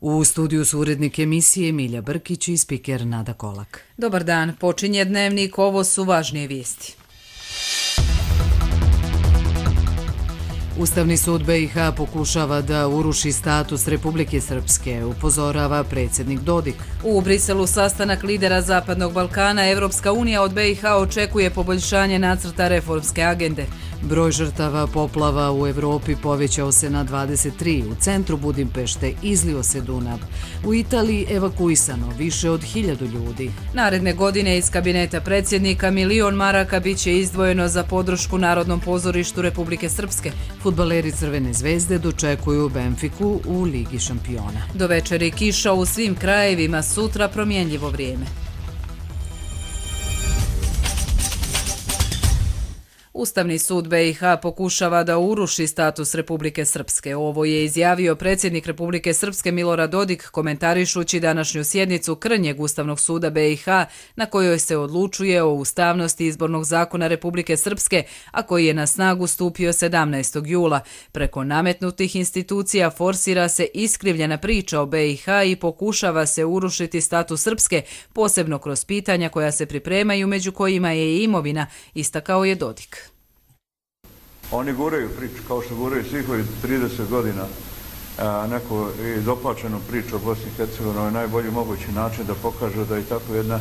U studiju su urednik emisije Milja Brkić i spiker Nada Kolak. Dobar dan, počinje dnevnik, ovo su važnije vijesti. Ustavni sud BiH pokušava da uruši status Republike Srpske, upozorava predsjednik Dodik. U Briselu sastanak lidera Zapadnog Balkana, Evropska unija od BiH očekuje poboljšanje nacrta reformske agende. Broj žrtava poplava u Evropi povećao se na 23, u centru Budimpešte izlio se Dunav. U Italiji evakuisano više od 1000 ljudi. Naredne godine iz kabineta predsjednika $1 milion biće izdvojeno za podršku Narodnom pozorištu Republike Srpske. Fudbaleri Crvene zvezde dočekuju Benfiku u Ligi šampiona. Do večeri kiša u svim krajevima, sutra promjenljivo vrijeme. Ustavni sud BiH pokušava da uruši status Republike Srpske. Ovo je izjavio predsjednik Republike Srpske Milorad Dodik komentarišući današnju sjednicu krnjeg Ustavnog suda BiH na kojoj se odlučuje o ustavnosti izbornog zakona Republike Srpske, a koji je na snagu stupio 17. jula. Preko nametnutih institucija forsira se iskrivljena priča o BiH i pokušava se urušiti status Srpske, posebno kroz pitanja koja se pripremaju, među kojima je i imovina, istakao je Dodik. Oni guraju priču, kao što guraju svih ovih 30 godina, neku doplačenu priču o Bosni i Hercegovini na najbolji mogući način da pokažu da je tako jedna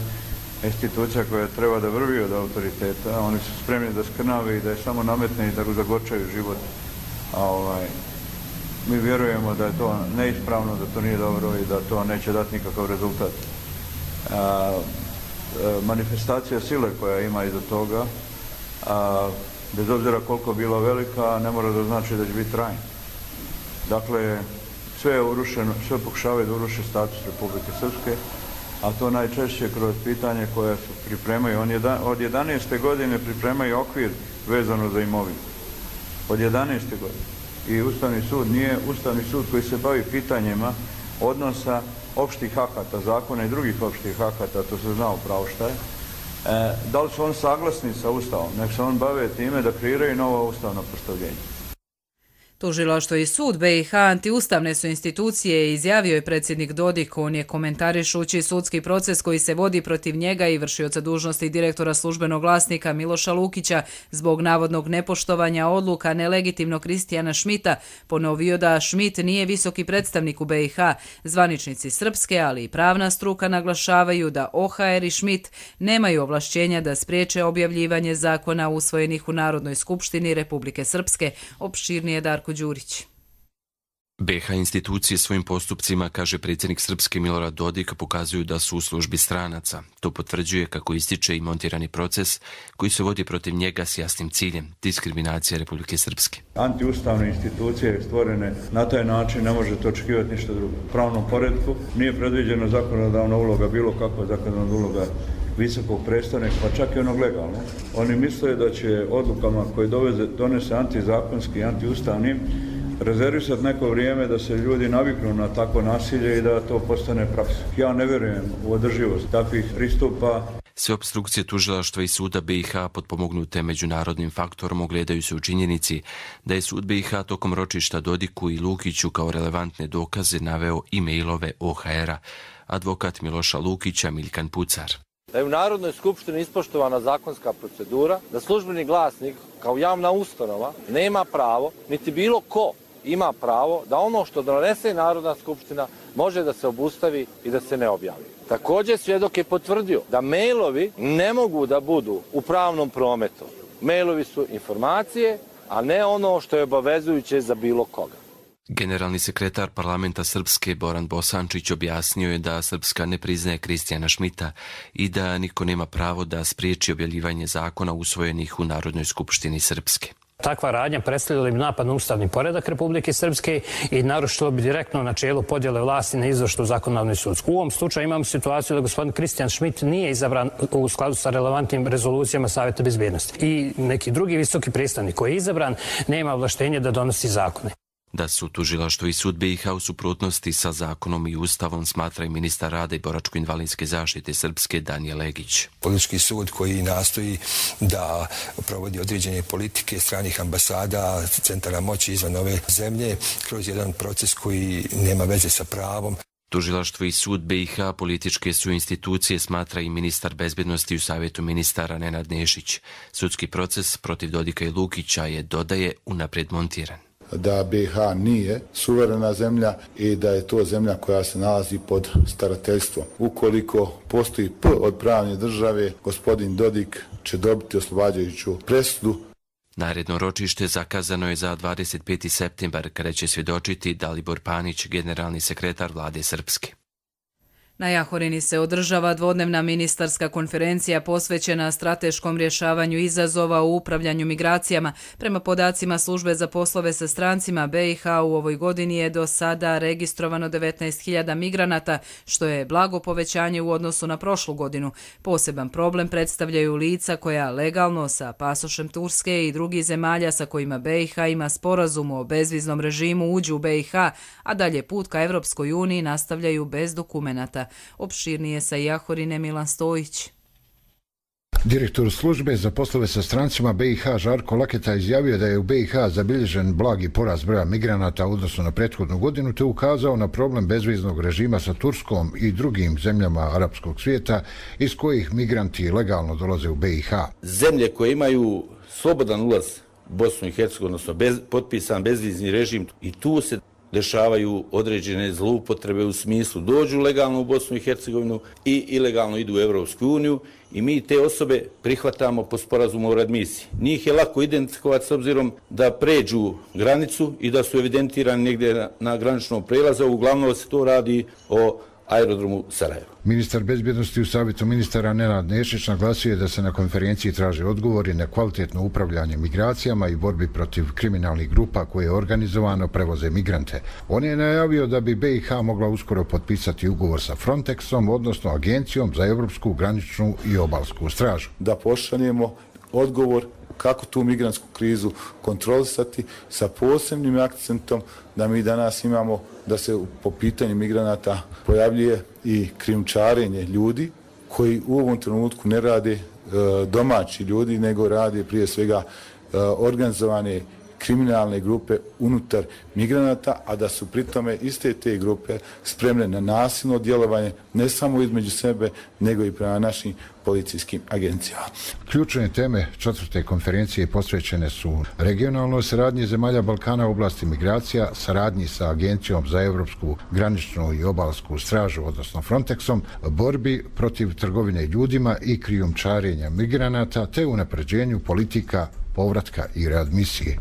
institucija koja treba da vrvi od autoriteta. Oni su spremni da skrnave i da je samo nametne i da zagorčaju život. Mi vjerujemo da je to neispravno, da to nije dobro i da to neće dati nikakav rezultat. Manifestacija sile koja ima iza toga, bez obzira koliko bila velika, ne mora da znači da će biti trajna. Dakle, sve je urušeno, sve pokušavaju da uruše status Republike Srpske, a to najčešće kroz pitanje koje se pripremaju. Od 11. godine pripremaju okvir vezano za imovinu. Od 11. godine. I Ustavni sud nije Ustavni sud koji se bavi pitanjima odnosa opštih akata, zakona i drugih opštih akata, to se zna upravo šta je. Da li su on saglasni sa Ustavom? Nek se on bave time da kreiraju novo ustavno postavljenje. Tužilaštvo i sud BiH antiustavne su institucije, izjavio je predsjednik Dodik. On je komentarišući sudski proces koji se vodi protiv njega i vršioca dužnosti direktora službenog glasnika Miloša Lukića zbog navodnog nepoštovanja odluka nelegitimnog Kristijana Šmita ponovio da Šmit nije visoki predstavnik u BiH. Zvaničnici Srpske, ali i pravna struka naglašavaju da OHR i Šmit nemaju ovlašćenja da spriječe objavljivanje zakona usvojenih u Narodnoj skupštini Republike Srpske. Opširnije Darko Đurić. BiH institucije svojim postupcima, kaže predsjednik Srpske Milorad Dodik, pokazuju da su u službi stranaca. To potvrđuje, kako ističe, i montirani proces koji se vodi protiv njega s jasnim ciljem, diskriminacija Republike Srpske. Antiustavne institucije stvorene na taj način ne možete očekivati ništa drugo. U pravnom poretku nije predviđena zakonodavna uloga, bilo kakva zakonodavna uloga visokog predstavnika, pa čak i onog legalno. Oni misle da će odlukama koje donese antizakonski i antiustavnim rezervisati neko vrijeme da se ljudi naviknu na takvo nasilje i da to postane praksa. Ja ne vjerujem u održivost takvih pristupa. Sve opstrukcije tužilaštva i suda BiH potpomognute međunarodnim faktorom ogledaju se u činjenici da je sud BiH tokom ročišta Dodiku i Lukiću kao relevantne dokaze naveo e-mailove OHR-a, advokat Miloša Lukića Miljkan Pucar. Da je u Narodnoj skupštini ispoštovana zakonska procedura, da službeni glasnik kao javna ustanova nema pravo, niti bilo ko ima pravo da ono što donese Narodna skupština može da se obustavi i da se ne objavi. Također svjedok je potvrdio da mailovi ne mogu da budu u pravnom prometu. Mailovi su informacije, a ne ono što je obavezujuće za bilo koga. Generalni sekretar parlamenta Srpske Boran Bosančić objasnio je da Srpska ne priznaje Kristijana Šmita i da niko nema pravo da spriječi objavljivanje zakona usvojenih u Narodnoj skupštini Srpske. Takva radnja predstavljala bi napad na ustavni poredak Republike Srpske i narušilo bi direktno načelo podjele vlasti na izvršnu, zakonodavnu i sudsku. U ovom slučaju imamo situaciju da gospodin Kristijan Šmit nije izabran u skladu sa relevantnim rezolucijama Savjeta bezbjednosti. I neki drugi visoki predstavnik koji je izabran nema ovlaštenje da donosi zakone. Da su tužilaštvo i sud BiH u suprotnosti sa zakonom i ustavom, smatra i ministar rada i boračko-invalidske zaštite Srpske Danijel Legić. Politički sud koji nastoji da provodi određene politike stranih ambasada, centara moći izvan ove zemlje kroz jedan proces koji nema veze sa pravom. Tužilaštvo i sud BiH političke su institucije, smatra i ministar bezbednosti u Savjetu ministara Nenad Nešić. Sudski proces protiv Dodika i Lukića je, dodaje, unaprijed montiran. Da BiH nije suverena zemlja i da je to zemlja koja se nalazi pod starateljstvom. Ukoliko postoji P od pravne države, gospodin Dodik će dobiti oslobađajuću presudu. Naredno ročište zakazano je za 25. septembar, kada će svjedočiti Dalibor Panić, generalni sekretar vlade Srpske. Na Jahorini se održava dvodnevna ministarska konferencija posvećena strateškom rješavanju izazova u upravljanju migracijama. Prema podacima Službe za poslove sa strancima, BiH u ovoj godini je do sada registrovano 19.000 migranata, što je blago povećanje u odnosu na prošlu godinu. Poseban problem predstavljaju lica koja legalno sa pasošem Turske i drugih zemalja sa kojima BiH ima sporazum o bezviznom režimu uđu u BiH, a dalje put ka Evropskoj uniji nastavljaju bez dokumenata. Opširnije sa Jahorine Milan Stojić. Direktor službe za poslove sa strancima BiH Žarko Laketa izjavio da je u BiH zabilježen blagi porast broja migranata u odnosu na prethodnu godinu, te ukazao na problem bezviznog režima sa Turskom i drugim zemljama arapskog svijeta iz kojih migranti legalno dolaze u BiH. Zemlje koje imaju slobodan ulaz u Bosnu i Hercegovinu, odnosno potpisan bezvizni režim, i tu se dešavaju određene zloupotrebe u smislu dođu legalno u Bosnu i Hercegovinu i ilegalno idu u Evropsku uniju i mi te osobe prihvatamo po sporazumu o readmisiji. Njih je lako identifikovati s obzirom da pređu granicu i da su evidentirani negdje na graničnom prelazu. Uglavnom se to radi o aerodromu Sarajevo. Ministar bezbjednosti u Savjetu ministara Nenad Nešić naglasio je da se na konferenciji traže odgovori na kvalitetno upravljanje migracijama i borbi protiv kriminalnih grupa koje organizovano prevoze migrante. On je najavio da bi BiH mogla uskoro potpisati ugovor sa Frontexom, odnosno Agencijom za Europsku graničnu i obalsku stražu. Da pošaljemo odgovor kako tu migrantsku krizu kontrolisati sa posebnim akcentom da mi danas imamo da se po pitanju migranata pojavljuje i krijumčarenje ljudi koji u ovom trenutku ne rade domaći ljudi, nego rade prije svega organizovane kriminalne grupe unutar migranata, a da su pritome iste te grupe spremne na nasilno djelovanje ne samo između sebe, nego i prema našim policijskim agencijama. Ključne teme četvrte konferencije posvećene su regionalnoj saradnji zemalja Balkana u oblasti migracija, saradnji sa Agencijom za Europsku graničnu i obalsku stražu, odnosno Frontexom, borbi protiv trgovine ljudima i krijumčarenja migranata, te unapređenju politika povratka i readmisije.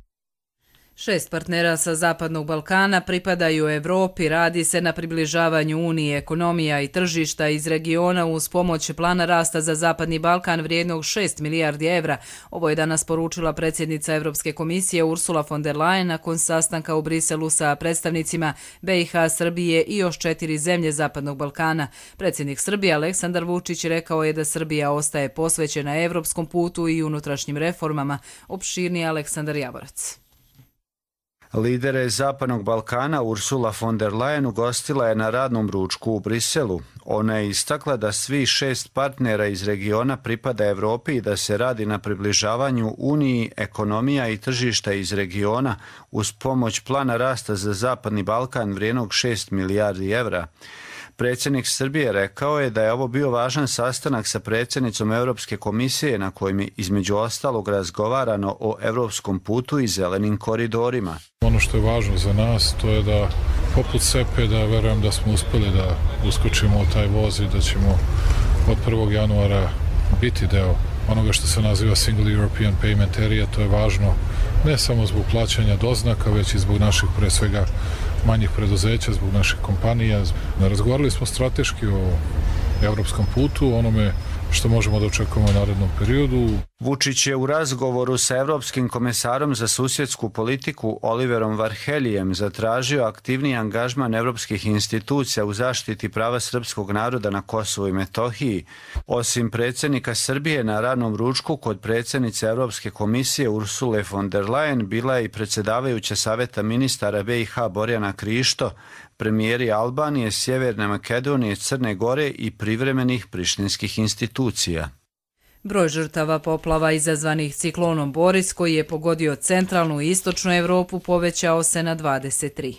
6 partnera sa Zapadnog Balkana pripadaju Evropi, radi se na približavanju Unije, ekonomija i tržišta iz regiona uz pomoć plana rasta za Zapadni Balkan vrijednog 6 milijardi evra. Ovo je danas poručila predsjednica Evropske komisije Ursula von der Leyen nakon sastanka u Briselu sa predstavnicima BiH, Srbije i još 4 zemlje Zapadnog Balkana. Predsjednik Srbije Aleksandar Vučić rekao je da Srbija ostaje posvećena evropskom putu i unutrašnjim reformama. Opširnije Aleksandar Javorac. Lidere Zapadnog Balkana Ursula von der Leyen ugostila je na radnom ručku u Briselu. Ona je istakla da svi 6 partnera iz regiona pripada Evropi i da se radi na približavanju Uniji, ekonomija i tržišta iz regiona uz pomoć plana rasta za Zapadni Balkan vrijednog 6 milijardi evra. Predsjednik Srbije rekao je da je ovo bio važan sastanak sa predsjednicom Europske komisije na kojem je između ostalog razgovarano o evropskom putu i zelenim koridorima. Ono što je važno za nas to je da poput SEPE da verujem da smo uspjeli da uskočimo u taj voz i da ćemo od 1. januara biti deo onoga što se naziva Single European Payment Area. To je važno ne samo zbog plaćanja doznaka, već i zbog naših pre svega manjih preduzeća, zbog naših kompanija. Razgovarali smo strateški o evropskom putu, onome što možemo da očekujemo u narednom periodu. Vučić je u razgovoru sa Evropskim komesarom za susjedsku politiku Oliverom Varheljijem zatražio aktivniji angažman evropskih institucija u zaštiti prava srpskog naroda na Kosovu i Metohiji. Osim predsjednika Srbije na radnom ručku kod predsjednice Evropske komisije Ursule von der Leyen bila je i predsjedavajuća Savjeta ministara BiH Borjana Krišto, premijeri Albanije, Sjeverne Makedonije, Crne Gore i privremenih prištinskih institucija. Broj žrtava poplava izazvanih ciklonom Boris, koji je pogodio centralnu i istočnu Evropu, povećao se na 23.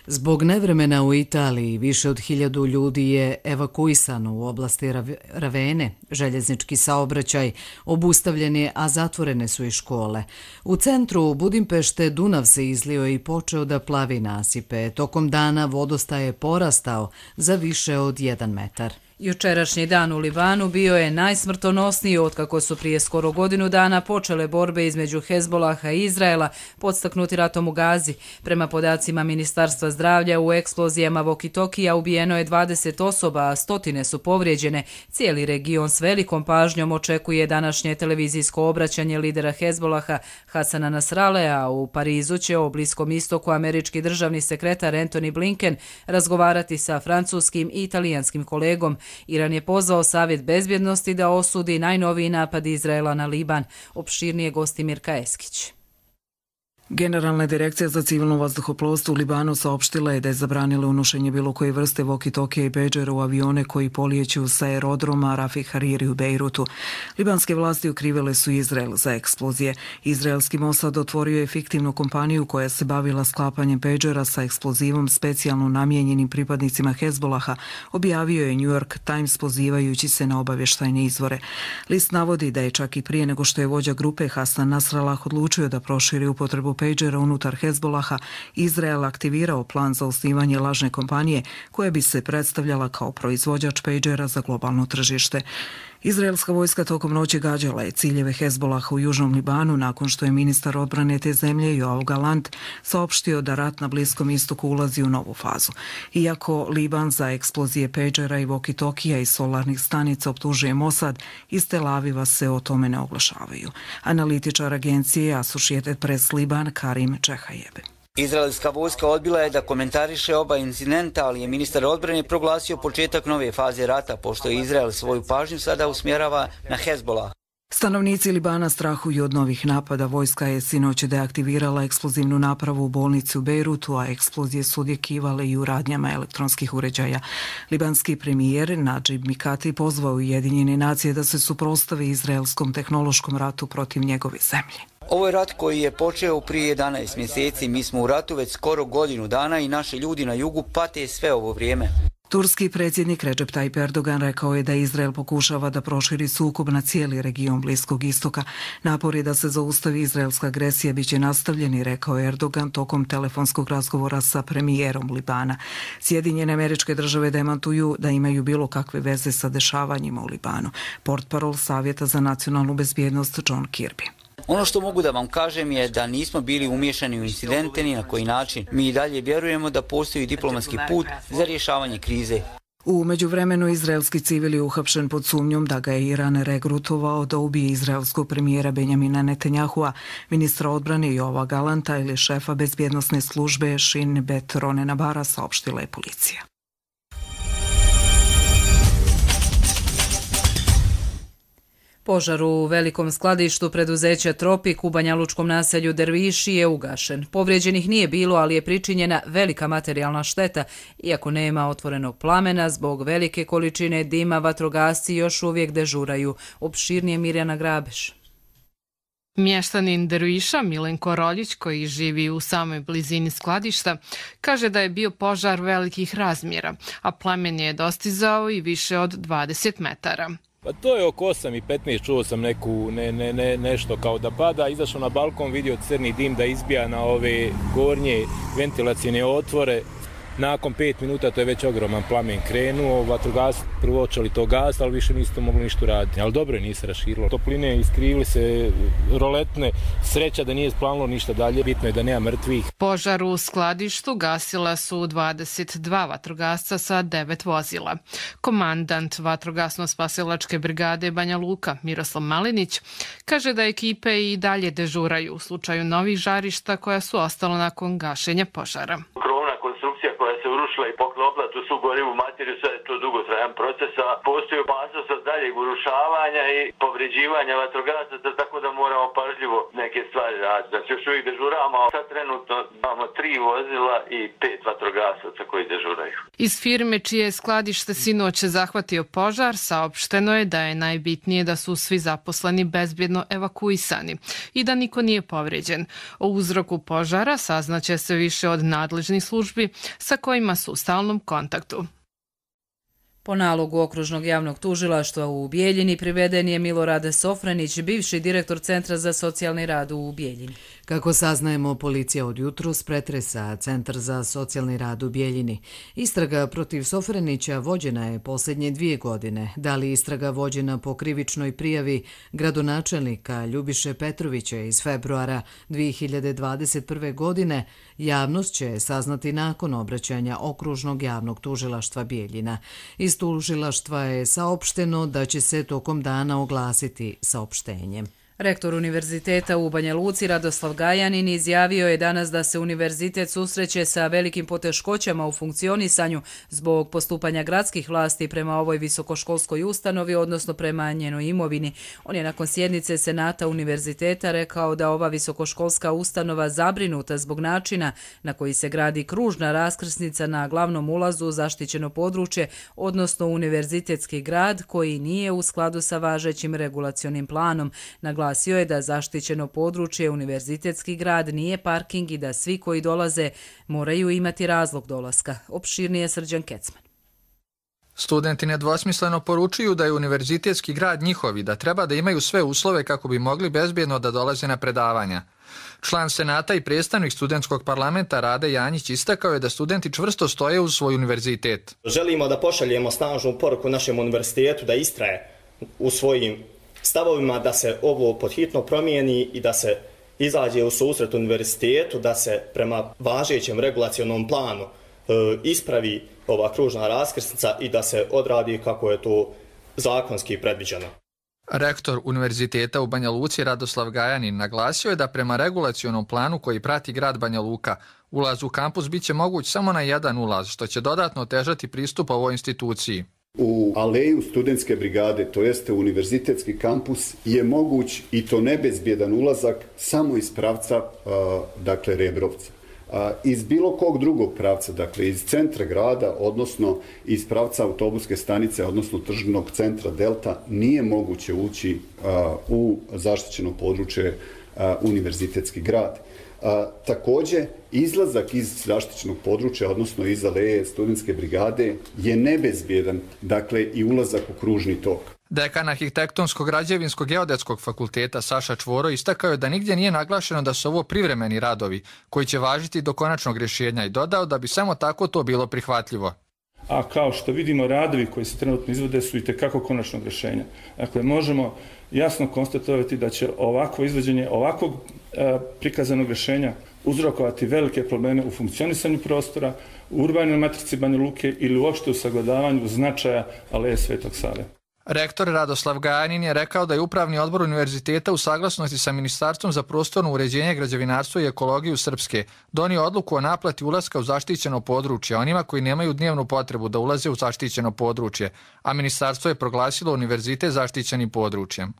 Zbog nevremena u Italiji više od 1000 ljudi je evakuisano u oblasti Ravene. Željeznički saobraćaj obustavljen je, a zatvorene su i škole. U centru Budimpešte Dunav se izlio i počeo da plavi nasipe. Tokom dana vodostaj je porastao za više od 1 metar. Jučerašnji dan u Libanu bio je najsmrtonosniji otkako su prije skoro godinu dana počele borbe između Hezbolaha i Izraela, podstaknuti ratom u Gazi. Prema podacima Ministarstva zdravlja, u eksplozijama Vokitokija ubijeno je 20 osoba, a 100 su povrijeđene. Cijeli region s velikom pažnjom očekuje današnje televizijsko obraćanje lidera Hezbolaha Hasana Nasralea, a u Parizu će o Bliskom istoku američki državni sekretar Antony Blinken razgovarati sa francuskim i italijanskim kolegom. Iran je pozvao Savjet bezbjednosti da osudi najnoviji napad Izraela na Liban. Opširnije gosti Mirka Eskić. Generalna direkcija za civilno vazduhoplovstvo u Libanu saopštila je da je zabranila unošenje bilo koje vrste walkie-talkie i pagera u avione koji polijeću sa aerodroma Rafih Hariri u Bejrutu. Libanske vlasti okrivile su Izrael za eksplozije. Izraelski Mossad otvorio je fiktivnu kompaniju koja se bavila sklapanjem pagera sa eksplozivom specijalno namijenjenim pripadnicima Hezbolaha, objavio je New York Times pozivajući se na obavještajne izvore. List navodi da je čak i prije nego što je vođa grupe Hasan Nasrallah odlučio da proširi upotrebu pagera unutar Hezbolaha, Izrael aktivirao plan za osnivanje lažne kompanije koja bi se predstavljala kao proizvođač pagera za globalno tržište. Izraelska vojska tokom noći gađala je ciljeve Hezbolaha u južnom Libanu nakon što je ministar odbrane te zemlje Yoav Gallant saopštio da rat na Bliskom istoku ulazi u novu fazu. Iako Liban za eksplozije pagera i walkie-talkija i solarnih stanica optužuje Mossad, iz Tel Aviva se o tome ne oglašavaju. Analitičar agencije Associated Press Liban Karim Čehajebe. Izraelska vojska odbila je da komentariše oba incidenta, ali je ministar odbrane proglasio početak nove faze rata, pošto je Izrael svoju pažnju sada usmjerava na Hezbolah. Stanovnici Libana strahuju od novih napada. Vojska je sinoć deaktivirala eksplozivnu napravu u bolnici u Bejrutu, a eksplozije su odjekivale i u radnjama elektronskih uređaja. Libanski premijer Nadžib Mikati pozvao Ujedinjene nacije da se suprotstave izraelskom tehnološkom ratu protiv njegove zemlje. Ovo je rat koji je počeo prije 11 mjeseci. Mi smo u ratu već skoro godinu dana i naši ljudi na jugu pate sve ovo vrijeme. Turski predsjednik Recep Tayyip Erdogan rekao je da Izrael pokušava da proširi sukob na cijeli region Bliskog istoka. Napori da se zaustavi izraelska agresija biće nastavljeni, rekao je Erdogan tokom telefonskog razgovora sa premijerom Libana. Sjedinjene Američke Države demantuju da imaju bilo kakve veze sa dešavanjima u Libanu. Portparol Savjeta za nacionalnu bezbjednost John Kirby. Ono što mogu da vam kažem je da nismo bili umiješani u incidente ni na koji način. Mi i dalje vjerujemo da postoji diplomatski put za rješavanje krize. U međuvremenu izraelski civil je uhapšen pod sumnjom da ga je Iran regrutovao da ubije izraelskog premijera Benjamina Netanjahua, ministra odbrane Yoava Gallanta ili šefa bezbjednosne službe Shin Bet Ronena Bara, saopštila je policija. Požar u velikom skladištu preduzeća Tropik u banjalučkom naselju Derviši je ugašen. Povrijeđenih nije bilo, ali je pričinjena velika materijalna šteta. Iako nema otvorenog plamena, zbog velike količine dima vatrogasci još uvijek dežuraju. Opširnije Mirjana Grabeš. Mještanin Derviša Milenko Roljić, koji živi u samoj blizini skladišta, kaže da je bio požar velikih razmjera, a plamen je dostizao i više od 20 metara. Pa to je oko 8:15, čuo sam nešto kao da pada, izašao na balkon, vidio crni dim da izbija na ove gornje ventilacijne otvore. Nakon 5 minuta to je već ogroman plamen krenuo, vatrogasci prvo očeli to gas, ali više nisu to mogli ništa raditi. Ali dobro je, nije se raširilo. Topline iskrivili se, roletne, sreća da nije splanilo ništa dalje, bitno je da nema mrtvih. Požar u skladištu gasila su 22 vatrogasca sa 9 vozila. Komandant vatrogasno-spasilačke brigade Banja Luka Miroslav Malinić kaže da ekipe i dalje dežuraju u slučaju novih žarišta koja su ostala nakon gašenja požara. Koja se urušila i poklopila tu su gorivu materiju, sve je to dugotrajan proces, a postoji opasnost da daljeg urušavanja i povređivanja vatrogasaca, tako da moramo pažljivo neke stvari raditi. Znači još uvijek dežuramo, sad trenutno imamo 3 vozila i 5 vatrogasaca koji dežuraju. Iz firme čije je skladište sinoć zahvatio požar, saopšteno je da je najbitnije da su svi zaposleni bezbjedno evakuisani i da niko nije povređen. O uzroku požara saznaće se više od nadležnih službi sa kojima su u stalnom kontaktu. Po nalogu Okružnog javnog tužilaštva u Bijeljini priveden je Milorad Sofranić, bivši direktor Centra za socijalni rad u Bijeljini. Kako saznajemo, policija od jutros pretresa Centar za socijalni rad u Bijeljini. Istraga protiv Sofranića vođena je posljednje 2 godine. Da li istraga vođena po krivičnoj prijavi gradonačelnika Ljubiše Petrovića iz februara 2021. godine, javnost će saznati nakon obraćanja Okružnog javnog tužilaštva Bijeljina. Iz tužilaštva je saopšteno da će se tokom dana oglasiti saopštenjem. Rektor Univerziteta u Banja Luci Radoslav Gajanin izjavio je danas da se univerzitet susreće sa velikim poteškoćama u funkcionisanju zbog postupanja gradskih vlasti prema ovoj visokoškolskoj ustanovi, odnosno prema njenoj imovini. On je nakon sjednice Senata univerziteta rekao da ova visokoškolska ustanova zabrinuta zbog načina na koji se gradi kružna raskrsnica na glavnom ulazu u zaštićeno područje, odnosno univerzitetski grad koji nije u skladu sa važećim regulacionim planom. Naglasio je da zaštićeno područje univerzitetski grad nije parking i da svi koji dolaze moraju imati razlog dolaska. Opširnije Srđan Kecman. Studenti nedvosmisleno poručuju da je univerzitetski grad njihov i da treba da imaju sve uslove kako bi mogli bezbjedno da dolaze na predavanja. Član Senata i predstavnik studentskog parlamenta Rade Janjić istakao je da studenti čvrsto stoje uz svoj univerzitet. Želimo da pošaljemo snažnu poruku našem univerzitetu da istraje u svojim stavovima, da se ovo podhitno promijeni i da se izađe u susret univerzitetu, da se prema važećem regulacionom planu ispravi ova kružna raskrsnica i da se odradi kako je to zakonski predviđeno. Rektor Univerziteta u Banja Luci Radoslav Gajanin naglasio je da prema regulacionom planu koji prati grad Banja Luka, ulaz u kampus biće moguć samo na jedan ulaz, što će dodatno otežati pristup ovoj instituciji. U aleju studentske brigade, to jeste univerzitetski kampus, je moguć i to nebezbjedan ulazak samo iz pravca, dakle, Rebrovca. Iz bilo kog drugog pravca, dakle iz centra grada, odnosno iz pravca autobuske stanice, odnosno tržnog centra Delta, nije moguće ući u zaštićeno područje univerzitetski grad. Također, izlazak iz zaštićenog područja, odnosno iz aleje studentske brigade, je nebezbjedan, dakle i ulazak u kružni tok. Dekan Arhitektonsko-građevinsko-geodetskog fakulteta Saša Čvoro istakao je da nigdje nije naglašeno da su ovo privremeni radovi koji će važiti do konačnog rješenja i dodao da bi samo tako to bilo prihvatljivo. A kao što vidimo, radovi koji se trenutno izvode su itekako konačnog rješenja. Dakle, možemo jasno konstatovati da će ovakvo izvođenje ovakvog prikazanog rješenja uzrokovati velike probleme u funkcionisanju prostora, u urbanoj matrici Banja Luke ili uopšte u sagledavanju značaja aleje Svetog Save. Rektor Radoslav Gajanin je rekao da je Upravni odbor univerziteta u saglasnosti sa Ministarstvom za prostorno uređenje, građevinarstvo i ekologiju Srpske donio odluku o naplati ulaska u zaštićeno područje onima koji nemaju dnevnu potrebu da ulaze u zaštićeno područje, a ministarstvo je proglasilo univerzitet zaštićenim područjem.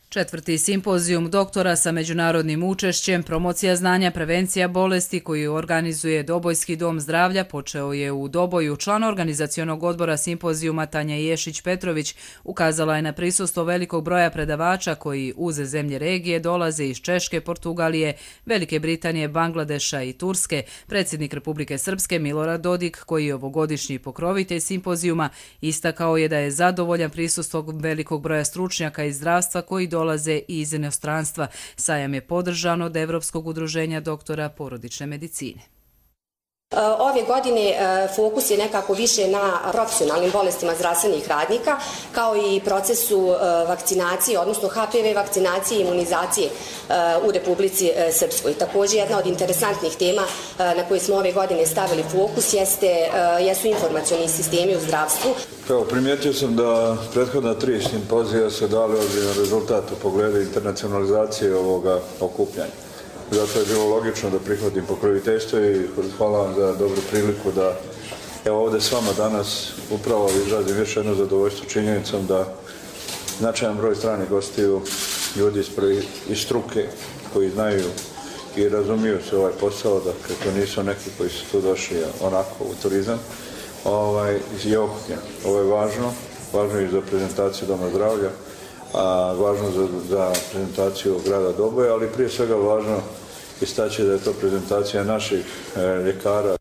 4. simpozijum doktora sa međunarodnim učešćem, promocija znanja, prevencija bolesti koju organizuje Dobojski dom zdravlja počeo je u Doboju. Član organizacionog odbora simpozijuma Tanja Ješić-Petrović ukazala je na prisustvo velikog broja predavača koji uz zemlje regije dolaze iz Češke, Portugalije, Velike Britanije, Bangladeša i Turske. Predsjednik Republike Srpske Milorad Dodik, koji je ovogodišnji pokrovitelj simpozijuma, istakao je da je zadovoljan prisustvom velikog broja stručnjaka iz zdravstva koji dolaze iz inostranstva. Sajam je podržan od Evropskog udruženja doktora porodične medicine. Ove godine fokus je nekako više na profesionalnim bolestima zdravstvenih radnika, kao i procesu vakcinacije, odnosno HPV vakcinacije i imunizacije u Republici Srpskoj. Također, jedna od interesantnih tema na koje smo ove godine stavili fokus jesu informacioni sistemi u zdravstvu. Primijetio sam da prethodna 3 simpozija se dali ozbiljan rezultat u pogledu internacionalizacije ovoga okupljanja. Zato je bilo logično da prihvatim pokroviteljstvo i hvala vam za dobru priliku da Evo ovdje s vama danas upravo izrazim još jedno zadovoljstvo činjenicom da značajan broj stranih gostiju, ljudi iz struke koji znaju i razumiju se ovaj posao, dakle to nisu neki koji su tu došli onako u turizam, je okupljen. Ovo je važno i za prezentaciju Doma zdravlja, važno za prezentaciju grada Doboja, ali prije svega važno istaći da je to prezentacija naših ljekara.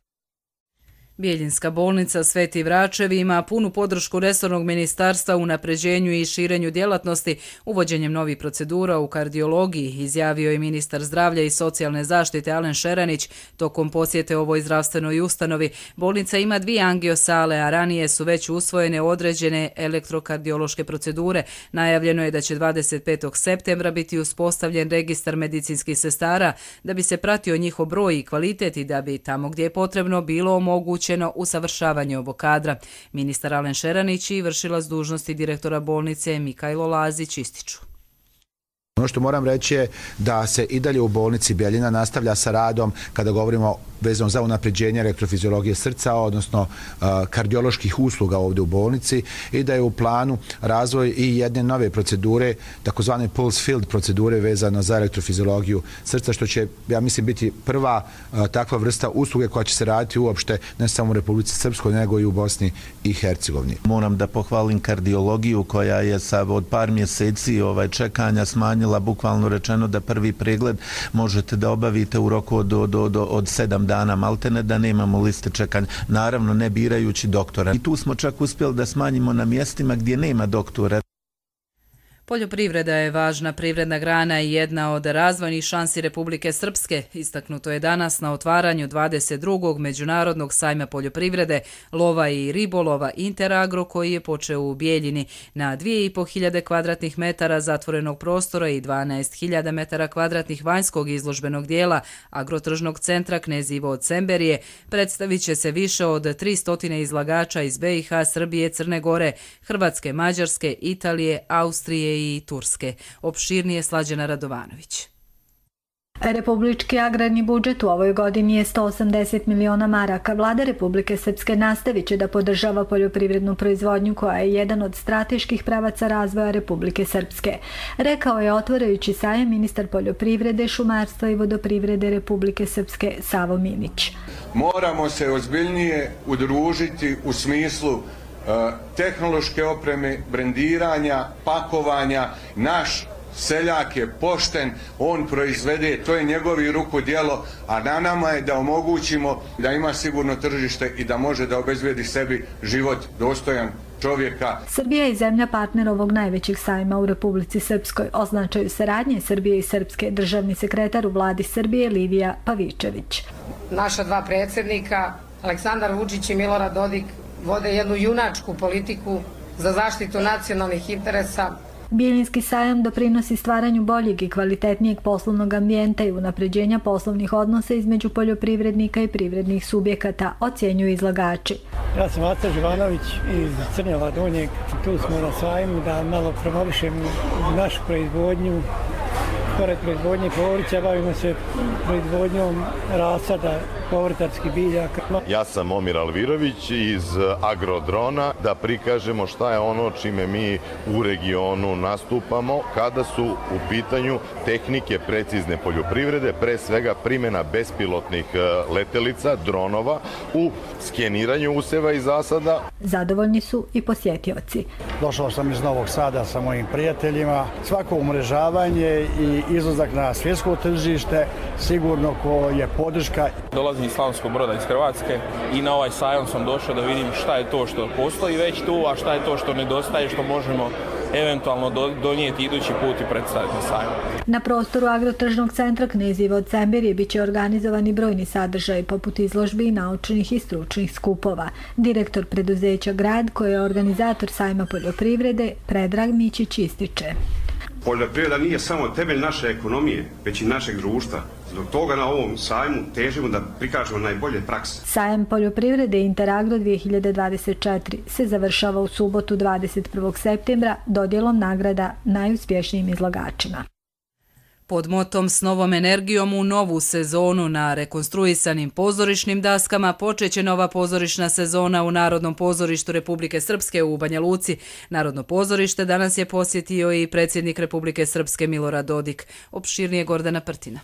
Bijeljinska bolnica Sveti Vračevi ima punu podršku resornog ministarstva u unapređenju i širenju djelatnosti uvođenjem novih procedura u kardiologiji, izjavio je ministar zdravlja i socijalne zaštite Alen Šeranić tokom posjete ovoj zdravstvenoj ustanovi. Bolnica ima 2 angiosale, a ranije su već usvojene određene elektrokardiološke procedure. Najavljeno je da će 25. septembra biti uspostavljen registar medicinskih sestara da bi se pratio njihov broj i kvalitet i da bi tamo gdje je potrebno bilo omogućeno usavršavanje ovog kadra. Ministar Alen Šeranić i vršilac dužnosti direktora bolnice Mikajlo Lazić ističu. Ono što moram reći je da se i dalje u bolnici Bjeljina nastavlja sa radom kada govorimo vezano za unapređenje elektrofiziologije srca, odnosno kardioloških usluga ovdje u bolnici i da je u planu razvoj i jedne nove procedure, takozvane pulse field procedure vezano za elektrofiziologiju srca, što će, ja mislim, biti prva takva vrsta usluge koja će se raditi uopšte ne samo u Republici Srpskoj, nego i u Bosni i Hercegovini. Moram da pohvalim kardiologiju koja je od par mjeseci čekanja smanjila, bukvalno rečeno da prvi pregled možete da obavite u roku od 7 dana maltene, da nemamo liste čekanja, naravno ne birajući doktora. I tu smo čak uspjeli da smanjimo na mjestima gdje nema doktora. Poljoprivreda je važna privredna grana i jedna od razvojnih šansi Republike Srpske. Istaknuto je danas na otvaranju 22. Međunarodnog sajma poljoprivrede, lova i ribolova Interagro koji je počeo u Bijeljini na 2500 kvadratnih metara zatvorenog prostora i 12.000 metara kvadratnih vanjskog izložbenog dijela agrotržnog centra Knez Ivo od Semberije. Predstavit će se više od 300 izlagača iz BiH, Srbije, Crne Gore, Hrvatske, Mađarske, Italije, Austrije i Turske. Opširnije Slađana Radovanović. Republički agrarni budžet u ovoj godini je 180 miliona maraka. Vlada Republike Srpske nastavit će da podržava poljoprivrednu proizvodnju koja je jedan od strateških pravaca razvoja Republike Srpske. Rekao je otvarajući sajam ministar poljoprivrede, šumarstva i vodoprivrede Republike Srpske Savo Minić. Moramo se ozbiljnije udružiti u smislu tehnološke opreme, brendiranja, pakovanja. Naš seljak je pošten, on proizvede, to je njegovi rukodjelo, a na nama je da omogućimo da ima sigurno tržište i da može da obezbedi sebi život dostojan čovjeka. Srbija je zemlja partner ovog najvećeg sajma u Republici Srpskoj. O značaju saradnje Srbije i Srpske državni sekretar u vladi Srbije Lidija Pavičević. Naša 2 predsjednika, Aleksandar Vučić i Milorad Dodik, vode jednu junačku politiku za zaštitu nacionalnih interesa. Bijeljinski sajam doprinosi stvaranju boljeg i kvalitetnijeg poslovnog ambijenta i unapređenja poslovnih odnosa između poljoprivrednika i privrednih subjekata, ocjenjuju izlagači. Ja sam Aca Živanović iz Crnjeva Donjeg. Tu smo na sajmu da malo promovišemo našu proizvodnju. Pored proizvodnje povrća bavimo se proizvodnjom rasada povrtarskih biljaka. Ja sam Momir Alvirović iz Agrodrona, da prikažemo šta je ono čime mi u regionu nastupamo kada su u pitanju tehnike precizne poljoprivrede, pre svega primjena bespilotnih letelica, dronova u skeniranju useva i zasada. Zadovoljni su i posjetioci. Došao sam iz Novog Sada sa mojim prijateljima. Svako umrežavanje i izlazak na svjetsko tržište sigurno ko je podrška. Dolazim iz Slavonskog Broda iz Hrvatske i na ovaj sajam sam došao da vidim šta je to što postoji već tu, a šta je to što nedostaje, što možemo eventualno donijeti idući put i predstaviti na sajmu. Na prostoru agrotržnog centra Knez Ivo od Semberije bit će organizovani brojni sadržaji poput izložbi i naučnih i stručnih skupova. Direktor preduzeća Grad, koji je organizator sajma poljoprivrede, Predrag Mićić ističe. Poljoprivreda nije samo temelj naše ekonomije, već i našeg društva. Zbog toga na ovom sajmu težimo da prikažemo najbolje prakse. Sajam poljoprivrede Interagro 2024 se završava u subotu 21. septembra dodjelom nagrada najuspješnijim izlagačima. Pod motom S novom energijom u novu sezonu na rekonstruisanim pozorišnim daskama počeće nova pozorišna sezona u Narodnom pozorištu Republike Srpske u Banja Luci. Narodno pozorište danas je posjetio i predsjednik Republike Srpske Milorad Dodik. Opširnije Gordana Prtina.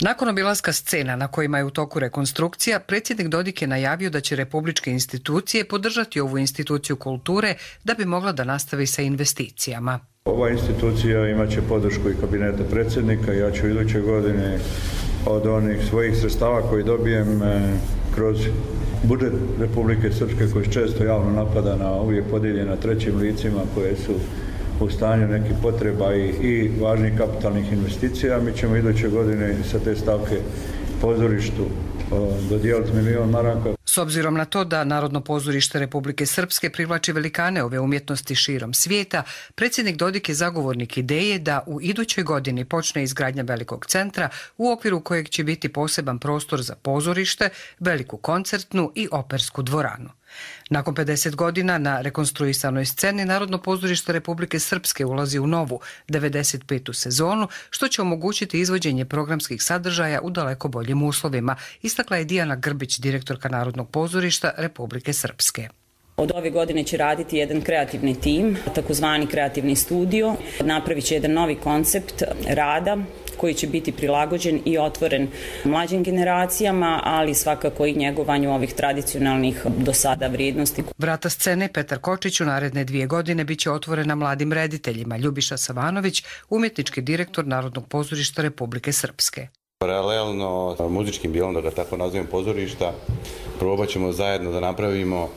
Nakon obilaska scena na kojima je u toku rekonstrukcija, predsjednik Dodik je najavio da će republičke institucije podržati ovu instituciju kulture da bi mogla da nastavi sa investicijama. Ova institucija imaće podršku i kabineta predsjednika. Ja ću iduće godine od onih svojih sredstava koji dobijem kroz budžet Republike Srpske, koji često javno napada na uvijek podijeljena trećim licima koje su u stanju nekih potreba i važnih kapitalnih investicija. Mi ćemo iduće godine sa te stavke pozorištu dodijeliti $1 milion. S obzirom na to da Narodno pozorište Republike Srpske privlači velikane ove umjetnosti širom svijeta, predsjednik Dodik je zagovornik ideje da u idućoj godini počne izgradnja velikog centra u okviru kojeg će biti poseban prostor za pozorište, veliku koncertnu i opersku dvoranu. Nakon 50 godina na rekonstruisanoj sceni Narodno pozorište Republike Srpske ulazi u novu 95. sezonu, što će omogućiti izvođenje programskih sadržaja u daleko boljim uslovima, istakla je Dijana Grbić, direktorka Narodnog pozorišta Republike Srpske. Od ove godine će raditi jedan kreativni tim, takozvani kreativni studio. Napravit će jedan novi koncept rada koji će biti prilagođen i otvoren mlađim generacijama, ali svakako i njegovanju ovih tradicionalnih do sada vrijednosti. Vrata scene Petar Kočić u naredne 2 godine biće otvorena mladim rediteljima. Ljubiša Savanović, umjetnički direktor Narodnog pozorišta Republike Srpske. Paralelno muzičkim dijelom, da ga tako nazovem, pozorišta, probat ćemo zajedno da napravimo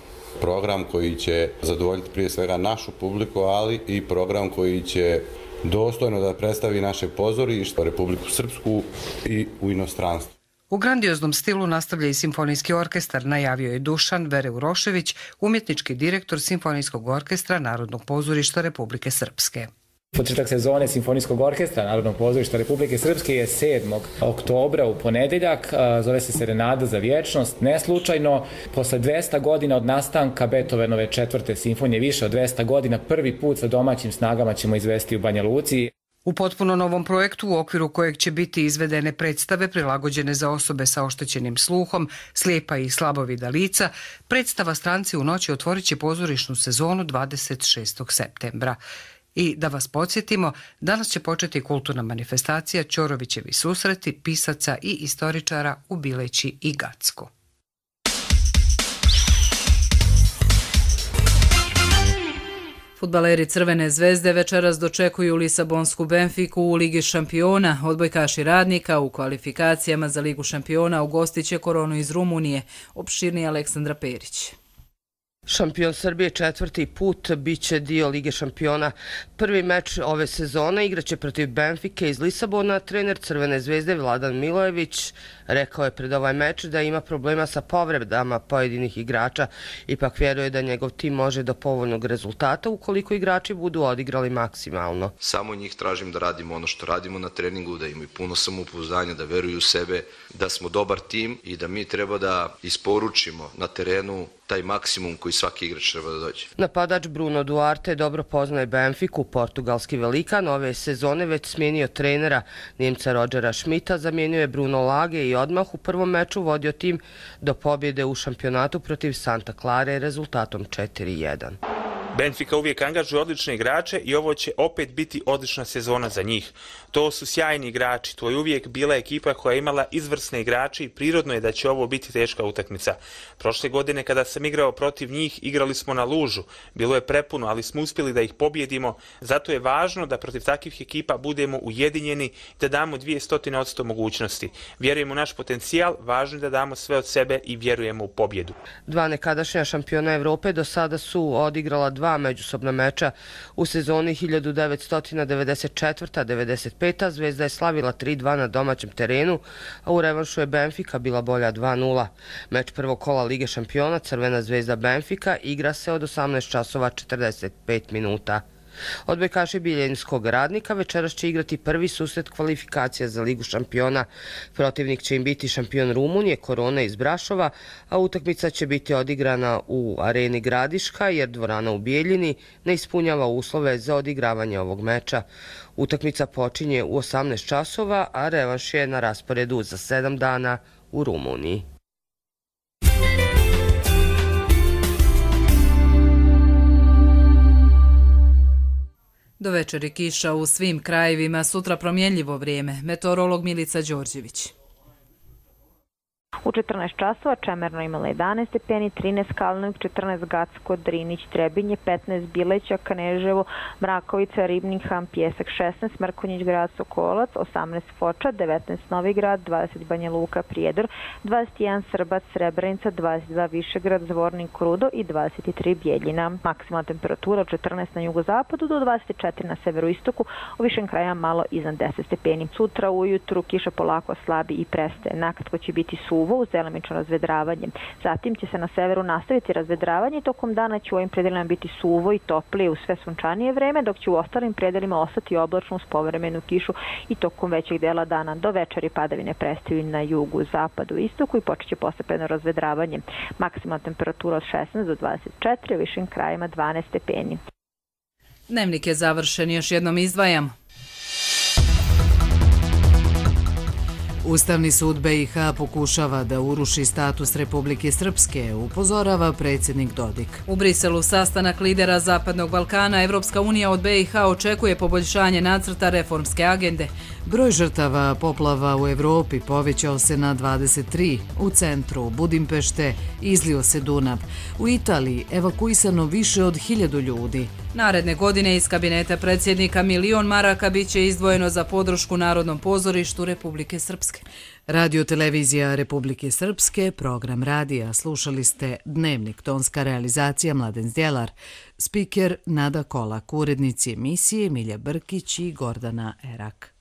program koji će zadovoljiti prije svega našu publiku, ali i program koji će dostojno da predstavi naše pozorište, Republiku Srpsku i u inostranstvu. U grandioznom stilu nastavlja i simfonijski orkestar, najavio je Dušan Vere Urošević, umjetnički direktor Simfonijskog orkestra Narodnog pozorišta Republike Srpske. Početak sezone Simfonijskog orkestra Narodnog pozorišta Republike Srpske je 7. oktobra u ponedeljak. Zove se Serenada za vječnost. Neslučajno, posle 200 godina od nastanka Beethovenove 4. simfonije, više od 200 godina, prvi put sa domaćim snagama ćemo izvesti u Banja Luci. U potpuno novom projektu u okviru kojeg će biti izvedene predstave prilagođene za osobe sa oštećenim sluhom, slijepa i slabovida lica, predstava Stranci u noći otvorit će pozorišnu sezonu 26. septembra. I da vas podsjetimo, danas će početi kulturna manifestacija Ćorovićevi susreti pisaca i istoričara u Bileći i Gacku. Fudbaleri Crvene zvezde večeras dočekuju Lisabonsku Benfiku u Ligi šampiona. Odbojkaši Radnika u kvalifikacijama za Ligu šampiona ugostiće Koronu iz Rumunije. Opširnije Aleksandra Perić. Šampion Srbije 4. put biće dio Lige šampiona. Prvi meč ove sezone igraće protiv Benfike iz Lisabona. Trener Crvene zvezde Vladan Milojević rekao je pred ovaj meč da ima problema sa povredama pojedinih igrača. Ipak vjeruje da njegov tim može do povoljnog rezultata ukoliko igrači budu odigrali maksimalno. Samo njih tražim da radimo ono što radimo na treningu, da imaju puno samopouzdanja, da veruju u sebe, da smo dobar tim i da mi treba da isporučimo na terenu taj maksimum koji svaki igrač treba da dođe. Napadač Bruno Duarte dobro poznaje Benfiku, portugalski velikan. Ove sezone već smijenio trenera Njemca Rodgera Schmidta, zamijenio je Bruno Lage i odmah u prvom meču vodio tim do pobjede u šampionatu protiv Santa Clare rezultatom 4-1. Benfica uvijek angažuje odlične igrače i ovo će opet biti odlična sezona za njih. To su sjajni igrači, to je uvijek bila ekipa koja je imala izvrsne igrače i prirodno je da će ovo biti teška utakmica. Prošle godine kada sam igrao protiv njih, igrali smo na lužu. Bilo je prepuno, ali smo uspjeli da ih pobjedimo. Zato je važno da protiv takvih ekipa budemo ujedinjeni i da damo 200% mogućnosti. Vjerujemo u naš potencijal, važno je da damo sve od sebe i vjerujemo u pobjedu. Dva nekadašnja šampiona Evrope do sada su odigrala 2 međusobna meča. U sezoni 1994-95 Zvezda je slavila 3-2 na domaćem terenu, a u revanšu je Benfica bila bolja 2-0. Meč prvog kola Lige šampiona Crvena zvezda Benfica igra se od 18 časova 45 minuta. Odbojkaši Bijeljinskog Radnika večeras će igrati prvi susret kvalifikacija za Ligu šampiona. Protivnik će im biti šampion Rumunije Korona iz Brašova, a utakmica će biti odigrana u areni Gradiška jer dvorana u Bijeljini ne ispunjava uslove za odigravanje ovog meča. Utakmica počinje u 18 časova, a revanš je na rasporedu za 7 dana u Rumuniji. Do večeri kiša u svim krajevima, sutra promjenljivo vrijeme. Meteorolog Milica Đorđević. U 14 časova Čemerno imala 11 stepeni, 13 Kalnik, 14 Gacko, Drinić, Trebinje, 15 Bileća, Kneževo, Mrakovica, Ribnikam, Pjesak 16, Mrkonjić grad Sokolac, 18 Foča, 19 Novi grad, 20 Banja Luka, Prijedor, 21 Srbac, Srebrenica, 22 Višegrad, Zvornik, Krudo i 23 Bijeljina. Maksimalna temperatura od 14 na jugozapadu do 24 na severoistoku, u višem kraja malo iznad 10 stepeni. Sutra ujutru kiša polako slabi i prestaje. Nakratko će biti suvo uz delimično razvedravanje. Zatim će se na severu nastaviti razvedravanje i tokom dana će u ovim predelima biti suvo i toplije u sve sunčanije vreme, dok će u ostalim predelima ostati oblačno uz povremenu kišu i tokom većeg dela dana. Do večeri padavine prestaju na jugu, zapadu i istoku i počeće postepeno razvedravanje. Maksimalna temperatura od 16 do 24, u višim krajima 12 stepeni. Dnevnik je završen, još jednom izdvajam. Ustavni sud BiH pokušava da uruši status Republike Srpske, upozorava predsjednik Dodik. U Briselu sastanak lidera Zapadnog Balkana, Evropska unija od BiH očekuje poboljšanje nacrta reformske agende. Broj žrtava poplava u Evropi povećao se na 23. U centru Budimpešte izlio se Dunav. U Italiji evakuisano više od 1000 ljudi. Naredne godine iz kabineta predsjednika 1 milion maraka biće izdvojeno za podršku Narodnom pozorištu Republike Srpske. Radio-televizija Republike Srpske, program radija. Slušali ste Dnevnik, tonska realizacija Mladen Zdjelar, spiker Nada Kolak, urednici emisije Milja Brkić i Gordana Erak.